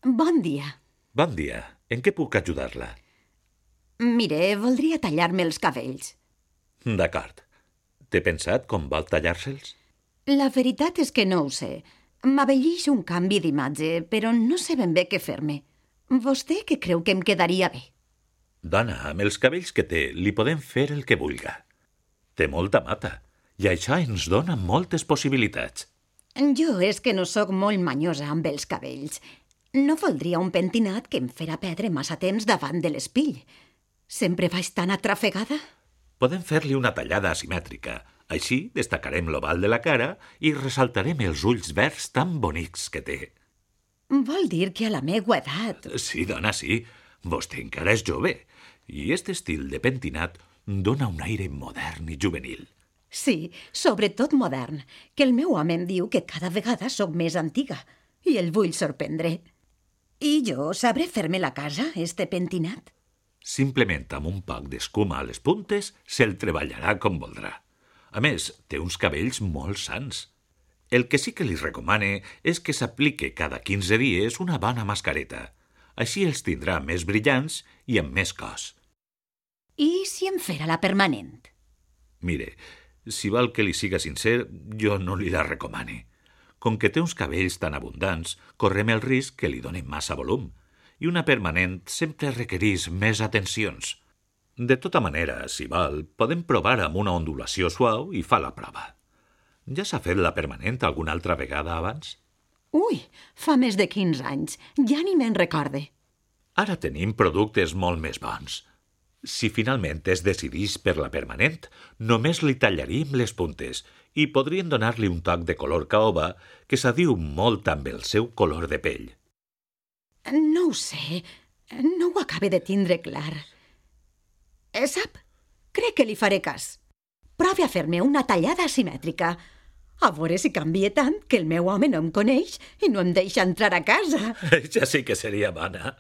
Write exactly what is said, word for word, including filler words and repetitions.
Bon dia. Bon dia. En què puc ajudar-la? Mire, voldria tallar-me els cabells. D'acord. Té pensat com vol tallar-se'ls? La veritat és que no ho sé. M'abellix un canvi d'imatge, però no sé ben bé què fer-me. Vostè què creu que em quedaria bé? Dona, amb els cabells que té, li podem fer el que vulga. Té molta mata, i això ens dona moltes possibilitats. Jo és que no sóc molt manyosa amb els cabells. No voldria un pentinat que em fera perdre massa temps davant de l'espill. Sempre vaig tan atrafegada. Podem fer-li una tallada asimètrica. Així destacarem l'oval de la cara i ressaltarem els ulls verds tan bonics que té. Vol dir que a la meua edat... Sí, dona, sí. Vostè encara és jove. I aquest estil de pentinat dona un aire modern i juvenil. Sí, sobretot modern, que el meu home em diu que cada vegada sóc més antiga i el vull sorprendre. I jo sabré fer-me la casa, este pentinat? Simplement amb un poc d'escuma a les puntes se'l treballarà com voldrà. A més, té uns cabells molt sans. El que sí que li recomane és que s'aplique cada quinze dies una bona mascareta. Així els tindrà més brillants i amb més cos. I si em fera la permanent? Mire, si vol que li siga sincer, jo no li la recomane. Com que té uns cabells tan abundants, correm el risc que li donen massa volum, i una permanent sempre requereix més atencions. De tota manera, si vol, podem provar amb una ondulació suau i fa la prova. Ja s'ha fet la permanent alguna altra vegada abans? Ui, fa més de quinze anys. Ja ni me'n recorde. Ara tenim productes molt més bons. Si finalment es decidís per la permanent, només li tallaríem les puntes i podrien donar-li un toc de color caoba que s'adiu molt amb el seu color de pell. No ho sé. No ho acabe de tindre clar. Eh, sap? Crec que li faré cas. Provi a fer-me una tallada asimètrica. A veure si canvia tant que el meu home no em coneix i no em deixa entrar a casa. Ja sí que seria bona.